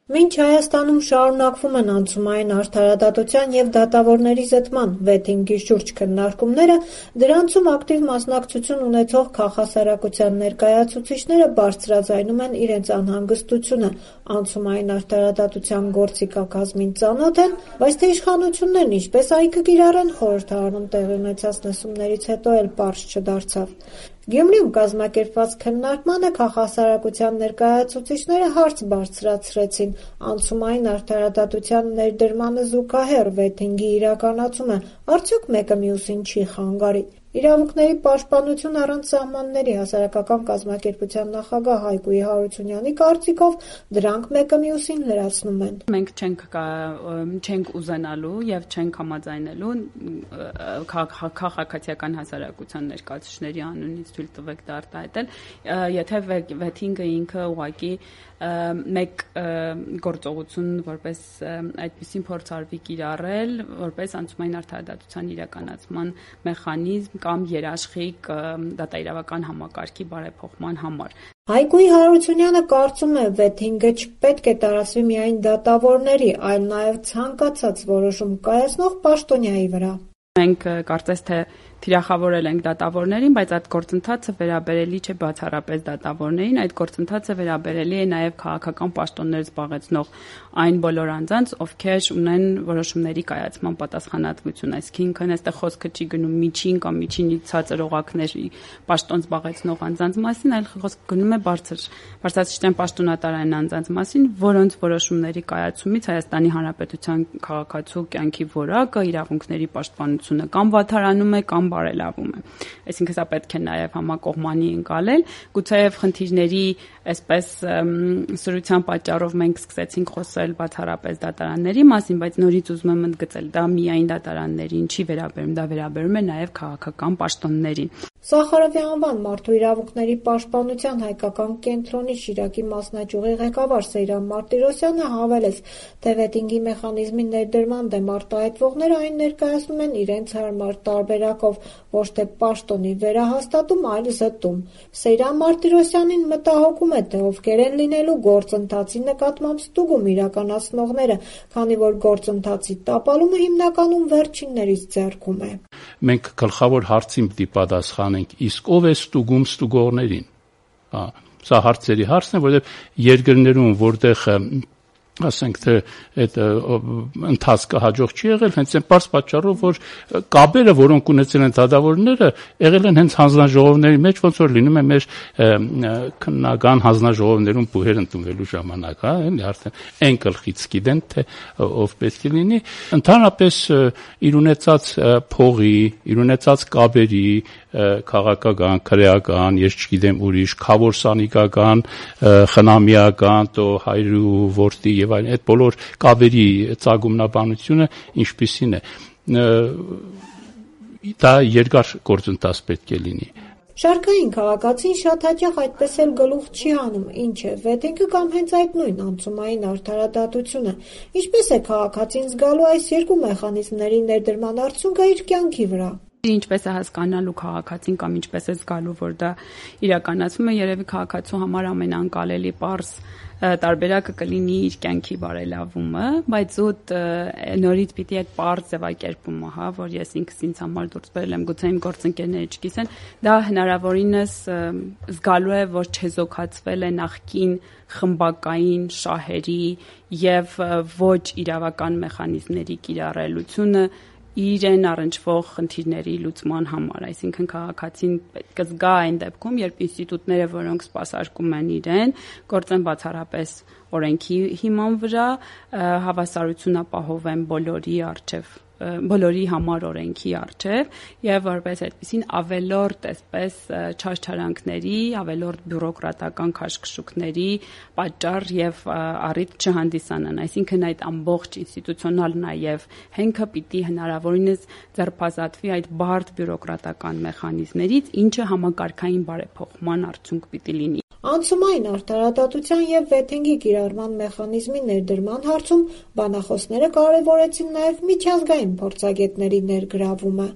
Մինչ Հայաստանում շարունակվում են անցումային արդարադատության և դատավորների զտման վեթինգի շուրջ քննարկումները, դրանցում ակտիվ մասնակցություն ունեցող քաղաքասարակության ներկայացուցիչները բարձրաձայնում են իրենց անհանգստությունը անցումային արդարադատության գործիքակազմին ծանոթ են, բայց թե իշխանություններն ինչպես այն կկիրառեն, խորհրդարանում տեղի ունեցած լսումներից հետո էլ պարզ չդարձավ։ Գյումրիում կազմակերպված քննարկմանը քաղաքասարակության ներկայացուցիչները հարց բարձրացրեցին անցումային արդարադատության ներդրմանը զուգահեռ վեթինգի իրականացումը արդյոք մեկը մյուսին չի խանգարի։ Իրավունքների պաշտպանություն առանց սահմանների հասարակական կազմակերպության նախագահ Հայկուի Հարությունյանի կարծիքով դրանք մեկը մյուսին լրացնում են։ Մենք չենք ուզենալու եւ չենք համաձայնելու քաղաքացիական հասարակության ներկայացուցիչների անունից թույլ տվեք դա արտահայտել, եթե վեթինգը ինքը ուղղակի մեկ գործողություն որպես այդպիսին փորձ արվի կիրառել, որպես անցումային արդարադատության իրականացման մեխանիզմ կամ երաշխիք դատաիրավական համակարգի բարեփոխման համար։ Հայկուի Հարությունյանը կարծում է, վեթինգը չպետք է տարածվի միայն դատավորների, այլ նաև ցանկացած որոշում կայացնող պաշտոնյայի վրա։ Մենք կարծես թե թիրախավորել ենք դատավորներին, բայց այդ գործընթացը վերաբերելի չէ բացառապես դատավորներին, այդ գործընթացը վերաբերելի է նաև քաղաքական պաշտոններ զբաղեցնող այն բոլոր անձանց, ովքեր ունեն որոշումների կայացման պատասխանատվություն, այսինքն այստեղ խոսքը չի գնում միջին կամ միջինից ցածր օղակների պաշտոն զբաղեցնող անձանց մասին, այլ խոսքը գնում է բարձրաստիճան պաշտոնատարային անձանց մասին, որոնց որոշումների կայացումից Հայաստանի Հանրապետության քաղաքացու կյանքի որակը, իրավունքների պաշտպանությունը կամ վատթարանում է կամ բարելավում է։ Այսինքն սա պետք է նաև համակողմանի ընկալել։ Գուցեև խնդիրների այսպես սրության պատճառով մենք սկսեցինք խոսել բացառապես դատարանների մասին, բայց նորից ուզում եմ ընդգծել, դա միայն դատարաններին չի վերաբերում, դա վերաբերում է նաև քաղաքական պաշտոններին։ Սախարովի անվան մարդու իրավունքների պաշտպանության հայկական կենտրոնի Շիրակի մասնաճյուղի ղեկավար Սեյրան Մարտիրոսյանը հավելեց, թե վեթինգի մեխանիզմի ներդրման դեմ արտահայտվողները այն ներկայացնում են իրենց հարմար տարբերակով, ոչ թե պաշտոնի վերահաստատում, այլ զտում։ Սեյրան Մարտիրոսյանին մտահոգում է, թե ովքեր են լինելու գործընթացի նկատմամբ ստուգում իրականացնողները, քանի որ գործընթացի տապալումը հիմնականում վերջիններից ձեռքում է։ Մենք գլխավոր հարցին պիտի պատասխանենք, իսկ ով է ստուգում ստուգողներին։ Սա հարցերի հարցն է, որովհետև երկրներում, որտեղ ասենք թե այդ ընթացքը հաջող չի եղել, հենց այն պարզ պատճառով, որ կապերը, որոնք ունեցել են դատավորները, եղել են հենց հանձնաժողովների մեջ, ոնց որ լինում է մեր քննական հանձնաժողովներում բուհեր ընդունվելու ժամանակ, էլի արդեն այն գլխից գիտեն, թե ով պետք է լինի, ընդհանրապես իր ունեցած փողի, իր ունեցած կապերի, քաղաքական, քրեական, ես չգիտեմ ուրիշ, քավորսանիկական, խնամիական, то հայրու որդի եւ այլն, այդ բոլոր կապերի ծագումնաբանությունը ինչպիսին է, դա երկար գործընթաց պետք է լինի։ Շարքային քաղաքացին շատ հաճախ այդպես էլ գլուխ չի հանում, ինչ է վեթինգը կամ հենց այդ նույն անցումային արդարադատությունը։ Ինչպես է քաղաքացին զգալու այս երկու մեխանիզմների ներդրման արդյունքը իր կյանքի վրա։ Ինչպես է հասկանալու քաղաքացին կամ ինչպես է զգալու, որ դա իրականացվում է, երևի քաղաքացու համար ամենանկալելի պարզ տարբերակը կլինի իր կյանքի բարելավումը, բայց զուտ նորից պիտի այդ պարզ ձևակերպումը, որ ես ինքս ինձ համար դուրս բերել եմ, գուցե իմ գործընկերները չգիտեն, դա հնարավորինս զգալու է, որ չեզոքացվել է նախկին խմբակային շահերի եւ ոչ իրավական մեխանիզմների կիրառելությունը իրեն առնչվող խնդիրների լուծման համար, այսինքն քաղաքացին պետք է զգա այն դեպքում, երբ ինստիտուտները, որոնք սպասարկում են իրեն, գործեն բացառապես օրենքի հիման վրա, հավասարություն ապահովեն բոլորի համար օրենքի առջև եւ որպես այդպեսին ավելորդ այսպես չարչարանքների, ավելորդ բյուրոկրատական քաշքշուկների պատճառ եւ առիթ չհանդիսանան, այսինքն այդ ամբողջ ինստիտուցիոնալ նաեւ հենքը պիտի հնարավորինս ձերբազատվի այդ բարդ բյուրոկրատական մեխանիզմներից, ինչը համակարգային բարեփոխման արդյունք պիտի լինի։ Անցումային արդարադատության և վեթինգի կիրառման մեխանիզմի ներդրման հարցում բանախոսները կարևորեցին նաև միջազգային փորձագետների ներգրավումը։